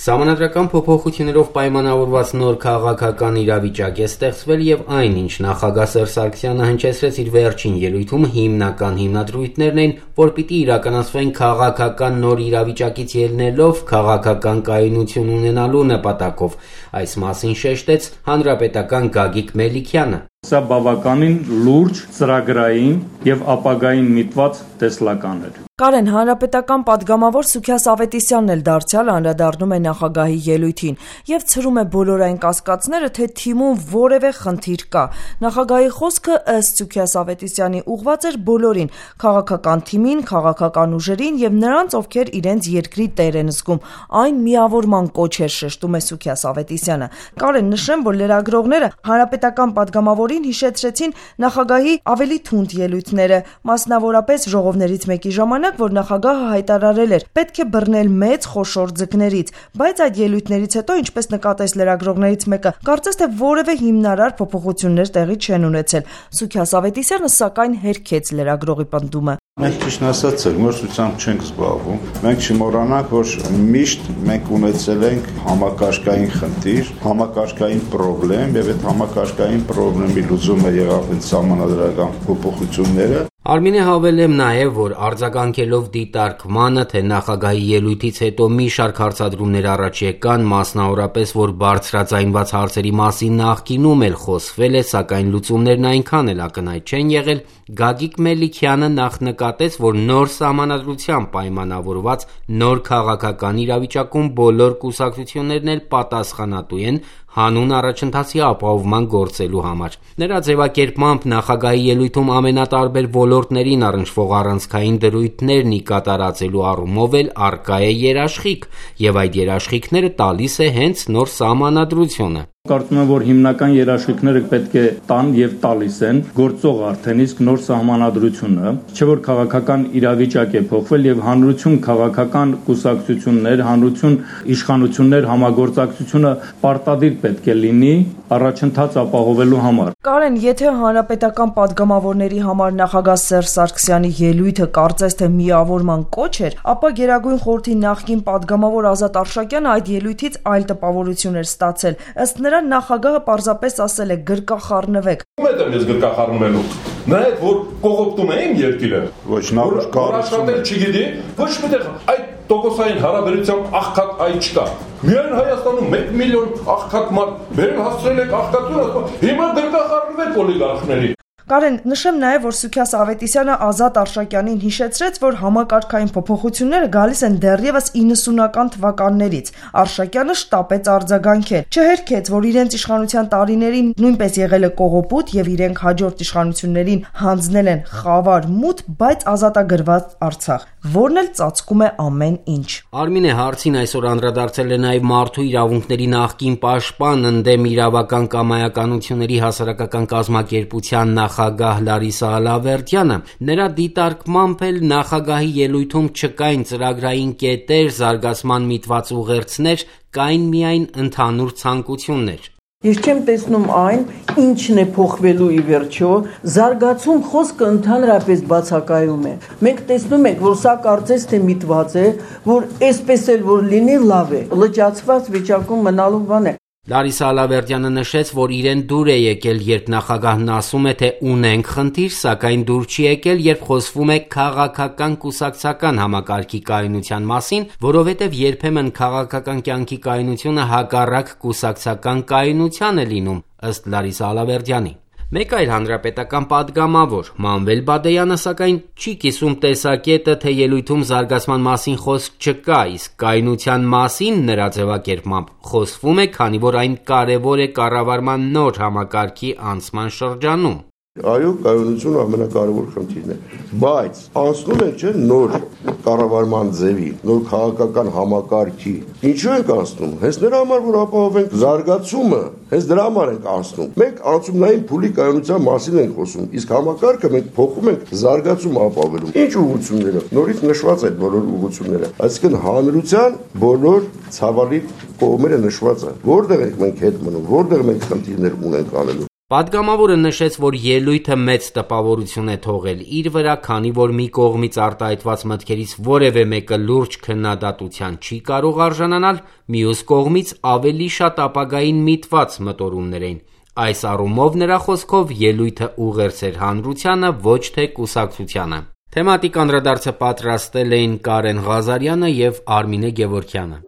Սահմանադրական փոփոխություններով պայմանավորված նոր քաղաքական իրավիճակ է ստեղծվել եւ այն, ինչ նախագահ Սերժ Սարգսյանը հնչեցրեց իր վերջին ելույթում, հիմնական հիմնադրույթներն են, որ պիտի իրականացվեն քաղաքական նոր իրավիճակից ելնելով քաղաքական կայունություն ունենալու նպատակով։ Այս մասին շեշտեց հանրապետական Գագիկ Մելիքյանը։ Սա բավականին լուրջ, ծրագրային եւ ապագային միտված տեսլական էր։ Կարեն, հանրապետական պատգամավոր Սուքիաս Ավետիսյանն էլ դարձյալ անդրադառնում է նախագահի ելույթին եւ ցրում է բոլոր այն կասկածները, թե թիմում որևէ խնդիր կա։ Նախագահի խոսքը ըստ Սուքիաս Ավետիսյանի ուղղված էր բոլորին՝ քաղաքական թիմին, քաղաքական ուժերին եւ նրանց, ովքեր իրենց երկրի տեր են զգում։ Այն միավորման կոչ էր, շեշտում է Սուքիաս Ավետիսյանը։ Կարեն, նշեմ, որ լրագրողները հանրապետական պատգամավորին հիշեցրեցին նախագահի ավելի թունդ ելույթները, մասնավորապես ժողովներից մեկի ժամանակ, որ նախագահը հայտարարել էր, պետք է բռնել մեծ խոշոր ձկներից, բայց այդ ելույթներից հետո, ինչպես նկատեց լրագրողներից մեկը, կարծես թե որևէ հիմնարար փոփոխություններ տեղի չեն ունեցել։ Սուքիաս Ավետիսյանը սակայն հերքեց լրագրողի պնդումը։ Մենք ճիշտ ասած ցեղմորսությամբ չենք զբաղվում։ Մենք չմոռանանք, որ միշտ մենք ունեցել ենք համակարգային խնդիր, համակարգային խնդրեմ եւ այդ համակարգային խնդրի լուծումը եղավ այդ սահմանադրական փոփոխությունները։ Արմինե հավելեմ նաև, որ արձագանքելով դիտարկմանը, թե նախագահի ելույթից հետո մի շարք հարցադրումներ առաջ եկան, մասնավորապես, որ բարձրաձայնված հարցերի մասին նախկինում էլ խոսվել է, սակայն լուծումներն այնքան էլ ակնհայտ չեն եղել, Գագիկ Մելիքյանը նախ նկատեց, որ նոր սահմանադրությամբ պայմանավորված նոր քաղաքական իրավիճակում բոլոր կուսակցություններն էլ պատասխանատու են հանուն առաջընթացի ապահովման գործելու համար։ Նրա ձևակերպմամբ նախագահի ելույթում ամենատարբեր ոլորտներին առնչվող առանցքային դրույթներն կատարածելու առումով էլ առկա է երաշխիք, եւ այդ երաշխիքները տալիս է հենց նոր սահմանադրությունը։ Կարծում եմ, որ հիմնական երաշխիքները պետք է տան եւ տալիս են գործող արդեն իսկ նոր սահմանադրությունը, չէ՞ որ քաղաքական իրավիճակ է փոխվել եւ հանրություն քաղաքական կուսակցություններ, հանրություն իշխանություններ համագործակցությունը պարտադիր պետք է լինի առաջընթաց ապահովելու համար։ Կարեն, եթե հանրապետական պատգամավորների համար նախագահ Սերժ Սարգսյանի ելույթը կարծես թե միավորման կոչ էր, ապա Գերագույն խորհրդի նախկին պատգամավոր Ազատ Արշակյանը այդ ելույթից այլ տպավորություն էր ստացել։ Ըստ նրա նախագահը պարզապես ասել է գրկախառնվեք։ Ո՞ւմ եմ ես գրկախառնվելու։ Նայեք, որ կողոպտում է իմ երկիրը։ Ոչ, նա աշխատել չգիտի, ոչ միտեղ այդ տոկոսային հարաբերությամբ աղքատ այ չկա։ Միայն Հայաստանում 1 միլիոն աղքատ մարդ բերել հասցրել եք աղքատությունը, հիմա գրկախառնվեք օլիգարխների։ Կարեն, նշեմ նաև, որ Սուքիաս Ավետիսյանը Ազատ Արշակյանին հիշեցրեց, որ համակարգային փոփոխությունները գալիս են դեռևս 90-ական թվականներից։ Արշակյանը շտապեց արձագանքել, չհերքեց, որ իրենց իշխանության տարիներին նույնպես եղել է կողոպուտ եւ իրենք հաջորդ իշխանություններին հանձնել են խավար մութ, բայց ազատագրված Արցախ, որն էլ ծածկում է ամեն ինչ։ Արմինե հարցին այսօր անդրադարձել է նաև մարդու իրավունքների նախկին պաշտպան ընդդեմ իրավական կամայականությունների հասարակական կազմակերպության նախագահ Լարիսա Ալավերդյանը։ Նրա դիտարկմամբ էլ նախագահի ելույթում չկային ծրագրային կետեր, զարգացման միտված ուղերձներ, կային միայն ընդհանուր ցանկություններ։ Ես չեմ տեսնում այն, ինչն է փոխվելու ի վերջո, զարգացում խոսքը ընդհանրապես բացակայում է։ Մենք տեսնում ենք, որ սա կարծես թե միտված է, որ այսպես էլ որ լինի լավ է, լճացված վիճակում մնալու բան է։ Լարիսա Ալավերդյանը նշեց, որ իրեն դուր է եկել, երբ նախագահն ասում է, թե ունենք խնդիր, սակայն դուր չի եկել, երբ խոսվում է քաղաքական կուսակցական համակարգի կայունության մասին, որովհետև երբեմն քաղաքական կյանքի կայունությունը հակառակ կուսակցական կայունության է լինում, ըստ Լարիսա Ալավերդյանի։ Մեկ այլ հանրապետական պատգամավոր Մանվել Բադեյանը սակայն չի կիսում տեսակետը, թե ելույթում զարգացման մասին խոսք չկա, իսկ կայունության մասին նրա ձևակերպմամբ խոսվում է, քանի որ այն կարևոր է կառավարման նոր համակարգի անցման շրջանում։ Այո, կայունությունը ամենակարևոր խնդիրն է, բայց անցնում ենք չէ նոր կառավարման ձևի, նոր քաղաքական համակարգի։ Ինչու ենք անցնում։ Հենց նրա համար, որ ապահովենք զարգացումը, հենց դրա համար ենք անցնում։ Մենք անցումնային փուլի կայունության մասին ենք խոսում, իսկ համակարգը մենք փոխում ենք զարգացում ապահովելու։ Ինչ ուղղություններով։ Նորից նշված այդ բոլոր ուղղությունները։ Այսինքն հանրության բոլոր ցավալի կողմերը նշված են։ Որտեղ ենք մենք հետ մնում, որտեղ մենք խնդիրներ ունենք անելու։ Պատգամավորը նշեց, որ ելույթը մեծ տպավորություն է թողել իր վրա, քանի որ մի կողմից արտահայտված մտքերից որևէ մեկը լուրջ քննադատության չի կարող արժանանալ, մյուս կողմից ավելի շատ ապագային միտված մտորումներ էին։ Այս առումով նրա խոսքով ելույթը ուղերձ էր հանրությանը, ոչ թե կուսակցությանը։ Թեմատիկ անդրադարձը պատրաստել էին Կարեն Ղազարյանը և Արմինե Գևորգյանը։